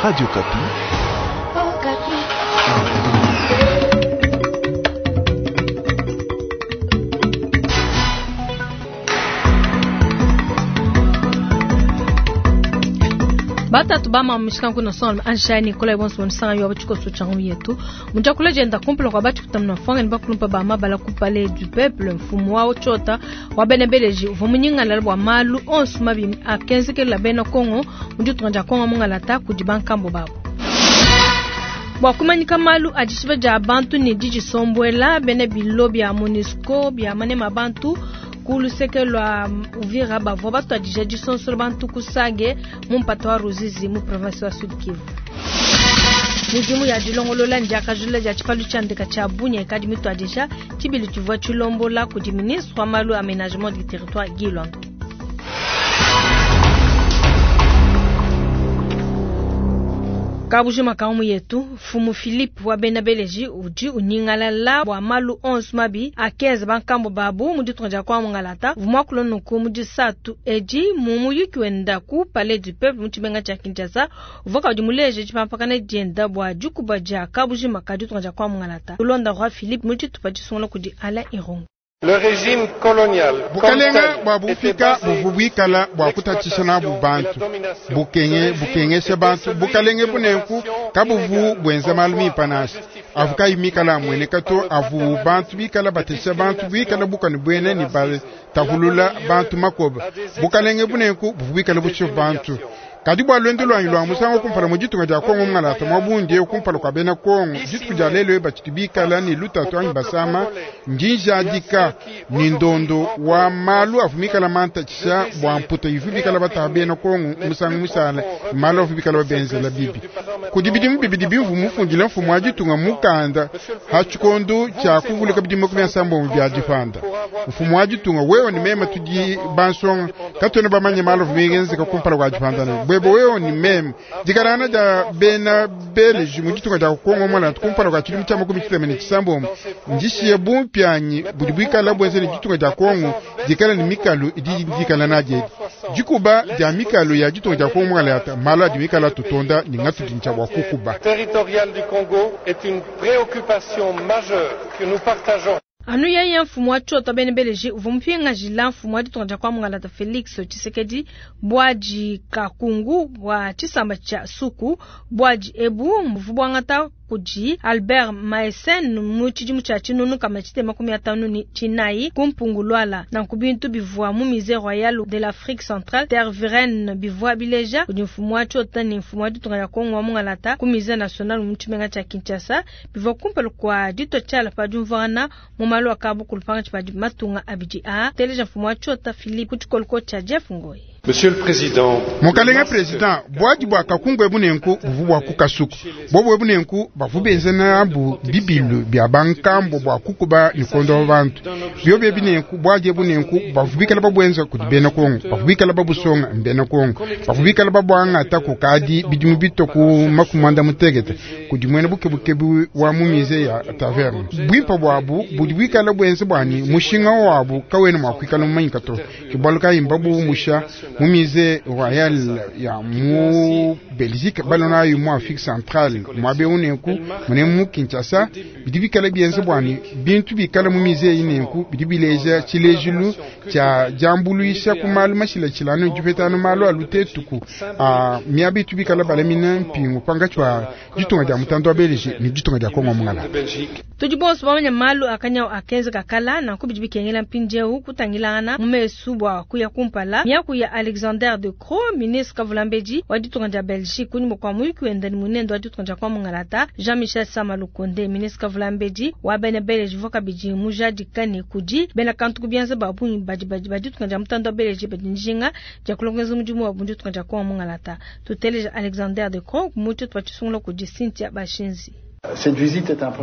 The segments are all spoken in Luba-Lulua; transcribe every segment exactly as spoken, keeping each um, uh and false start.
Radio Okapi. Batatu bama mishika kuna son anshani Nicolas bonso bonsanga yo bachiko so changu yetu mujakula jenda kumpula kwa bachi kutamna fanga ni bakulumpa ba mabala ku palais du peuple mfumu wa chota wa benebeleji vomunyinga la bwa malu onsu mabi akenzeke la bena Kongo mujutu nganja Kongo mungalata kudibankambo babo bwa kumanyika malu adishiba ja bantu ni diji sombwela bene bilo bya MONUSCO bya manema bantu kuluseke lwa Uvira bavua batuadija disonsola bantu kusage mu mpata wa Ruzizi mu province wa Sud Kivu. Midimu ya dilongolola ndiakajula dia tshipalu tshia ndeka tshia Bunia ikadi mituadija tshibili tshivua tshilombola kudi ministre wa malu aménagement du territoire Guy Loando. Kabujima kaumu yetu Fumu Philippe wa bena Beleji udi unyingalala bwa malu onsu mabi akeza bankambo babu mu ditunga dia kwa mungalata vumwakulo nuku mu disatu edi mu muyuki wenda ku palais du peuple mu tshimenga tshia Kinshasa uvoka udi muleje tshipampakana dienda bua dikuba dia kabujima ka ditunga dia kwa mungalata ulonda roi Philippe mu tshitupa tshisungula kudi Alain Irungu. Le régime colonial bukalenga bwa bufika buvu bwikala bwa kutatisha nabu bantu bukenge bukengesha bantu bukalenge bunenku kabuvu bwenza malu mipanasha avu kayimikala amweneka to avu bantu bikala batesha bantu bwikala bukani bwene ni batahulula bantu makoba bukalenge bunenku buvu bwikala busho bantu kadi bwa lwendo lwanyi lwa musango kumpala mu ditunga dia Kongo mungalata mwabundi kumpala kwa bena Kongo dituku dia lelo batshidi bikala ni lutatu anyi basama njinjadika ni ndondo wa malu avu mikala mantatshisha bwa mputa ivu bikala bataha bena Kongo musango musala malu avu bikala babenzela bibi kudi bidimu bibidi bimvu mufundile mfumu wa ditunga mukanda ha tshikondo tshia kuvuluka bidimu makumi asambombo bia dipanda mfumu wa ditunga wewe ni mema tudi bansonga katwena bamanye malu avu mingenzeka kumpala kwa dipanda ne bwebo wewe ni meme dikarana ja bena beleji mu ditunga dia Kongo mwana kumpala kwa tshidimu tshia makumi tshitema ne tshisambombo ndishiye bumpyanyi budi bwikala bwenzele ditunga dia Kongo dikala ni mikalu idi dikala nadiedi dikuba dia mikalu ya ditunga dia Kongo mwana yata malu adi mikala tutonda ni ngatu dintsha bua kukuba. Territorial du Congo est une préoccupation majeure que nous partageons. Anu yeye mfumu wa chota bene beleji uvua mupingajila mfumu wa ditunga dia kwa mungalata Felix Tshisekedi bwaji kakungu wa tshisamba tshia suku bwaji ebu mvubu bwangata kudi Albert Maesen mu tshidimu tshia tshinunu kama tshitema makumi atanu ni tshinayi ku mpungulwala na kubintu bivua mu musée royal de l'Afrique centrale Tervuren bivua bileja kudi mfumu wa chota ni mfumu wa ditunga dia Kongo wa mungalata ku musée national mu tshimenga tshia Kinshasa bivua kumpala kwa dito tshiala pa diumvuangana mu malu akabu kulupanga tshipadi matunga abidi a teleja mfumu wa chota Philippe kutshikoloko tshia Jeff Ngoyi. Monsieur le Président, Mukalenga President, bwaji bwa kakungu ebunenku buvu bwa kukasuku bobo ebunenku bavu benzena abu bibilu bya bankambo bwa kukuba nikondo bantu byobe ebinenku bwaji ebunenku bavu bikala babwenza kudi bena Kongo bavu bikala babusonga mbena Kongo bavu bikala babwanga tako kadi bidimu bitoku makumanda mutegete kudi mwene bukebukebu wa mu musée ya taverne bwimpa bwabu budi bwikala bwenza bwani mushinga wabu kawene mwakwikala mumanyika to kibwaluka imbabu musha mu musée royal ya mu Belgique balona yu mu Afrique centrale mwabe unenku mune mu Kinshasa bidi bikala bienze bwani bintu bikala mu musée inenku bidi bileja tshilejilu tshia jambuluisha ku malu mashilashilano dipetano malu alutetuku a miabitu bikala balamina mpingu panga tshwa ditunga dia mutandu wa Belgique ni ditunga dia Kongo mungala tudi bonso bamanya malu akanya akenze kakala na kubidi bikengela mpindieu kutangilana mu mesu bua kuya kumpala miaku ya Alexander de Croo ministre kavulambedi wa ditunga dia Belgique kunyuma kwa muyuki wenda ni munendo wa ditunga dia kwa mungalata Jean-Michel Sama Lukonde ministre kavulambedi wa bena Belgique voka bidi mujadika ne kudi bena kantu kubianza babunyi badi badi ba ditunga dia mutandu wa Belgique badi njinga dia kulongeza mudimu wa ditunga dia kwa mungalata tuteleja Alexander de Croo mutu twa tshisungula kudi Cynthia Bashinzi.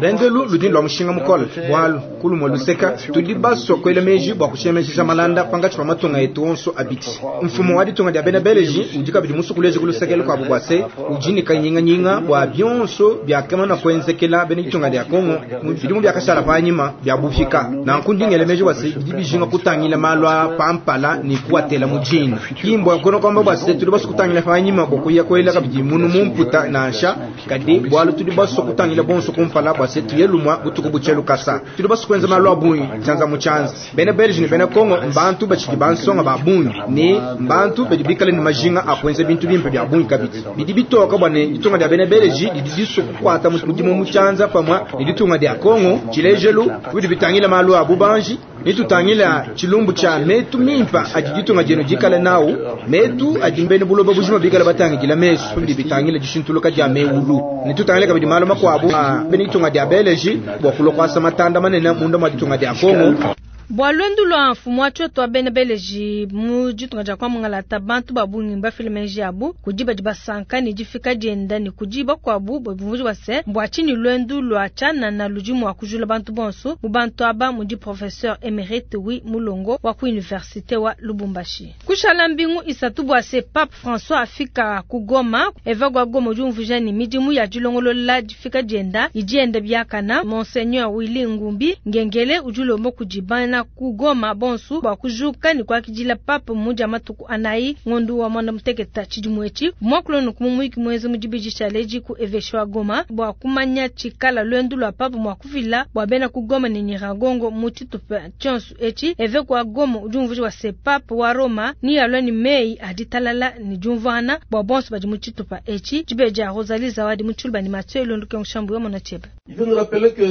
Lwendelu ludi lwa mushinga mukole bwalu kulumwe luseka tudi baswa kwela meji bwa kushemesha malanda pangatshi pa matunga etu onso abidi. Mfumo wa ditunga dia bena Belgique udi kabidi musukuleje kulusekelo kwa bwase udi ne kanyinganyinga bwa bionso byakamana kwenzekela bena ditunga dia Kongo mu bidimu byakashala panyima bya bufika. Nanku ndingele meji bwase bidi bijinga kutangila malu a pampala ni kuatela mujini. Kimbwa kono kwamba bwase tudi baswa kutangila panyima bwa kuya kwela kabidi munu mumputa nansha kadi bwalu tudi baswa kutangila bonso kumpala bwase tuyelumwa butuku buchelu kasa. Tudi baswa kwenza malu abunyi chanza muchanza. Bena Belgique ni bena Kongo mbantu bachidi bansonga babunyi ni mbantu badi bikale ni majinga akwenza bintu bimpe bya bunyi kabidi. Bidi bitoka bwane ditunga dia bena Belgique didi diswa kukwata mudimu muchanza pamwa ni ditunga dia Kongo chilejelu bidi bitangila malu abubanji ni tutangila chilumbu cha metu mimpa adi ditunga jenu dikale nawu metu adi mbene buloba bujima bikale batangila mesu bidi bitangila dishintuluka dia meulu ni tutangila kabidi malu makwabu bene ditunga dia Belgique bwa kulokwasa matanda manene munda mwa ditunga dia Kongo. Bwa lwendu lwa mfumu wa tshioto wa bena Belgique mu ditunga dia kwa mungalata bantu babungi mbafile meji abu kudi badi basanka ni difika dienda ni kudi bakwabu bavumvuji base mbwa tshini lwendu lwa tshanana ludi mua kujula bantu bonso mu bantu aba mudi professeur émérite wi Mulongo wa ku université wa Lubumbashi. Kushala mbingu isatu bwa se Pape François afika ku Goma eva gwa Goma udi umvuja ni midimu ya dilongolola difika dienda idienda biakana Monseigneur Willy Ngumbi Ngengele udi ulomba kudi bana ku Goma bonsu bwa kujuka ni kwakidila pape muja matuku anayi ngondu wa mwana muteketa chidimwechi mwakulono kumumwiki mwezi mudibiji chaleji ku eveshwa Goma bwa kumanya chikala lwendu lwa pape mwakuvila bwa bena ku Goma ni Nyiragongo mutitupe chonsu echi eve kwa Goma ujumvuji wa se pape wa Roma ni alwa ni mei aditalala ni jumvana bwa bonsu badi mutitupa echi jibeja Rosalie Zawadi mutshulba ni Mathieu Londo Kenshambu ya monachebe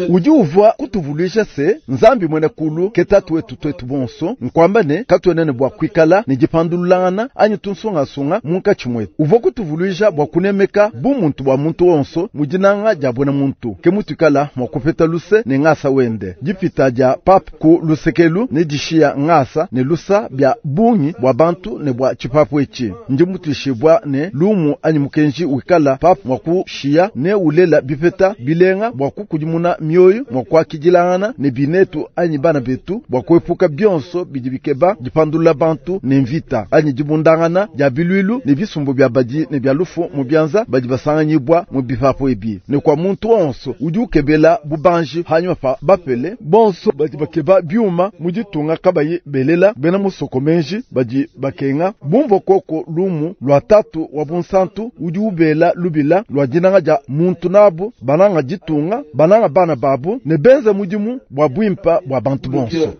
udi uvwa kutuvulisha se nzambi mwene kulu ketatu wetu twetu bonso nkwamba ne katwenene bwa kwikala ni dipandululangana anyi tunsongasunga munkatshi mwetu uvwa kutuvuluisha bwa kunemeka bumuntu bwa muntu onso mudinanga dia bwena muntu ke mutuikala mwa kupeta luse ne ngasa wende dipita dia pape ku lusekelu ne dishiya ngasa ne lusa bya bungi bwa bantu ne bwa tshipapu etshi ndi mutuishibwa ne lumu anyi mukenji wikala pape mwa kushiya ne ulela bipeta bilenga bwa kukudimuna mioyo mwa kwakidilangana ne binetu anyi bana betu bwa kuepuka bionso bidi bikeba dipandulula bantu ne mvita anyi dibundangana dia bilwilu ne bisumbu bya badi ne bya lufu mu byanza badi basanganyibwa mu bipapu ebi ne kwa muntu onso udi ukebela bubanji hanyuma pa bapele bonso badi bakeba byuma mu ditunga kabayi belela bena musoko menji badi bakenga bumva koko lumu lwa tatu wa bunsantu udi ubela lubila lwa dinanga dia muntu nabu bananga ditunga bananga bana babu ne benza mudimu bwa bwimpa bwa bantu bonso.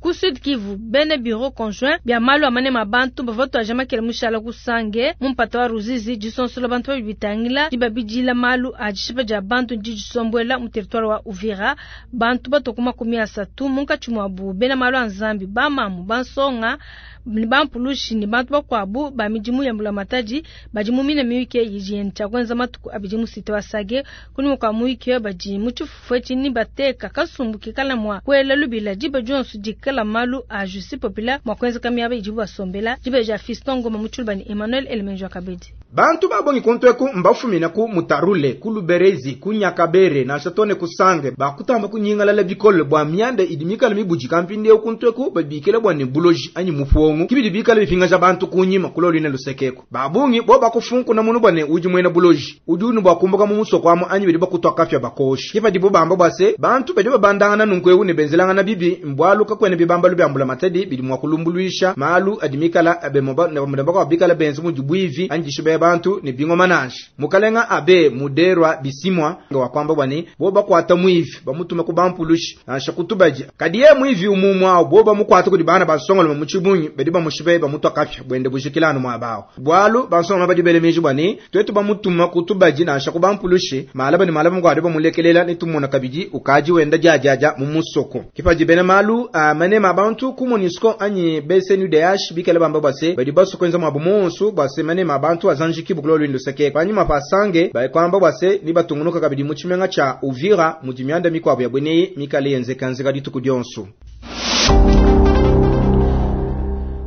Ku Sud Kivu bene bureau conjoint bya malu amane mabantu bavoto ajama kele mushala kusange mumpata wa Ruzizi disonsola bantu babitangila dibabidila malu ajishipa ja bantu ndijisombwela mu territoire wa Uvira bantu batokuma kumi asatu munkatshi mwabu bena malu anzambi bamamu bansonga ni bampulushi ni bantu bakwabu ba midimu ya mbulamatadi badi mu mine miyuke yiji ncha kwenza matuku abidi mu site wa Sage kuni kwa muyuke badi mu tshifufu ni bateka kasumbu kikala mwa kwela lubila diba jonso dikala malu a justice populaire mwa kwenza kamiaba ijibu basombela diba ja Fiston Ngoma mu ni Emmanuel Elemenjo Kabedi. Bantu babongi kontweku mbafumina ku mutarule ku luberezi ku nyakabere na shatone kusange bakutamba kunyingalala bikole bwa myanda idimikala mibuji kampinde okuntweku babikele bwa ne buloji anyi mufongo kibidi bikala bifinga ja bantu kunyima kulolina lusekeko babungi bo bakufunku na munu bwane uji mwena buloji udi unu bwakumbuka mu musoko amu anyi bidi bakutwa kafya bakoshi kipa dibo bamba bwase bantu badi babandangana nunkwewu ne benzelangana bibi mbwaluka kwene bibambalu byambula matadi bidi mwakulumbuluisha malu adimikala abemoba ne bamudambako bikala benzu mu jibwivi anyi jishibe bantu ni bingoma nashi mukalenga abe muderwa bisimwa nga kwamba bwani bo bakwata mwivi bamutuma ku bampulushi ansha kutubaji kadiye mwivi umumwa bo bamukwata kudi bana basongolo mu chibunyi bedi bamushibe bamutwa kafya bwende bushikilano mwabao bwalu basongolo badi belemeji bwani twetu bamutuma kutubaji nansha ku bampulushi malaba ni malaba ngwade bamulekelela nitumona kabidi ukaji wenda jajaja mu musoko kipaji bene malu amane mabantu ku MONUSCO anyi B C N U D H bikele bamba bwase badi basokwenza mwabumonsu bwase mane mabantu azanji kibukulo lwindo seke panyuma pasange bayikwamba bwase ni batungunuka kabidi mu chimenga cha Uvira mu dimyanda mikwabo ya bwene mikale yenzekanzika dituku dyonso.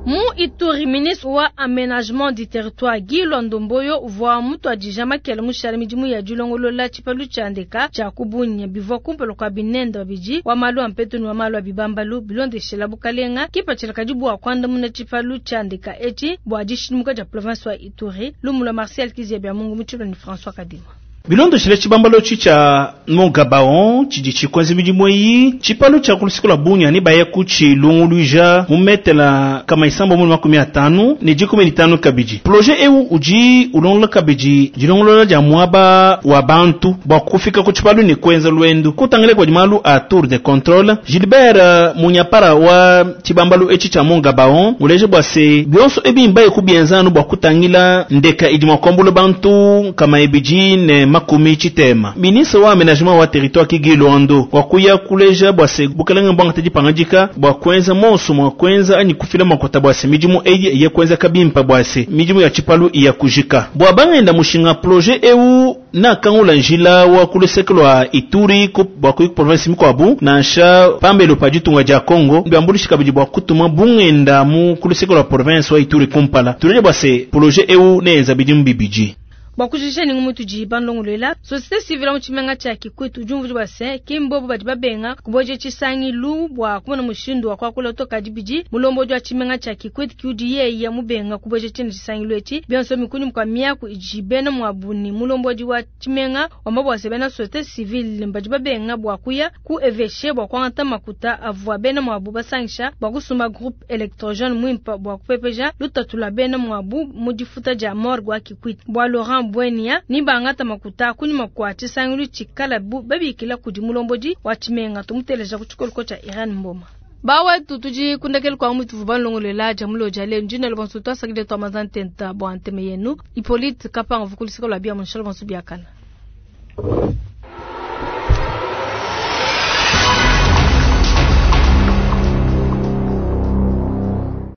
Mu Ituri, ministre wa aménagement du territoire Guy Loando Mboyo uvua mutuadija makela mushale midimu ya dilongolola tshipalu tshia ndeka tshia ku Bunia bivua kumpala kua binende babidi wa malu a mpetu ne wa malu a bibambalu bilondeshela bukalenga kipatshila kadi bua kuandamuna tshipalu tshia ndeka etshi bua dishidimuka dia province wa Ituri. Lumu lua Martial Kizia Mungu mu ni François Kadima. Bilondeshele tshibambalo tshi tshia Mont-Gabaon tshidi tshikwenza midimu eyi tshipalu tshia ku luseke lua Bunia ne baya ku tshilunguluija mu metela kama isambo mu makumi atanu ne dikumi ne tanu kabidi. Projet eu udi ulongolola kabidi dilongolola dia muaba wa bantu bua kufika ku tshipalu ne kuenza luendu. Kutangila kua malu a tour de contrôle, Gilbert Munyapara wa tshibambalu etshi tshia Mont-Gabaon uleje bua se bionso ebi mbaye kubienza anu bua kutangila ndeka idi mua kuambula bantu kama ibidi ne makumi tshitema. Ministre wa aménagement wa territoire Guy Loando wakuya kuleja bua se bukelenge bwangata dipangadika bua kuenza monso mua kuenza anyi kufila makota bua se midimu eyi iye kuenza kabimpa bua se midimu ya tshipalu iya kujika. Bua bangenda mushinga projet eu na kangula njila wa ku luseke lua Ituri ku bua ku province mikuabu nansha pambelo pa ditunga dia Congo biambulishi kabidi bua kutuma bungenda mu ku luseke lua province wa Ituri kumpala. Tuleje bua se projet eu neenza bidimu bibidi. Bua kujisha ni ngumu tudi bandongolela société civile mu tshimenga tshia Kikwit ujumvu bua se kimbobo badi babenga kuboje tshisangilu bua kumona mushindu wa kuakula toka dibidi mulombodi wa tshimenga tshia Kikwit kiudi yeye mubenga kuboje tshina tshisangilu etshi bionso mikunyi mukwa miaku idi bena mwabuni mulombodi wa tshimenga wamba bua se bena société civile badi babenga bua kuya ku évêché bua kuangata makuta avua bena mwabu basangisha bua kusumba groupe électrogène mwimpa bua kupepeja lutatu lua bena mwabu mu difuta dia morgue wa Kikwit. Bua Laurent Bwenia ni bangata makuta kunyuma kwa tshisangilu tshikala bu babikila kudi mulombodi wa tshimenga tumuteleja ku tshikoliko tshia Iran Mboma. Bawetu tudi kundekele kwa mutu vubalongolela jamulo jale njina lebonso twasakile twa mazantenta bwa nteme yenu Hippolyte Kapanga vukulisika lwa bia munshalo bonso biakana.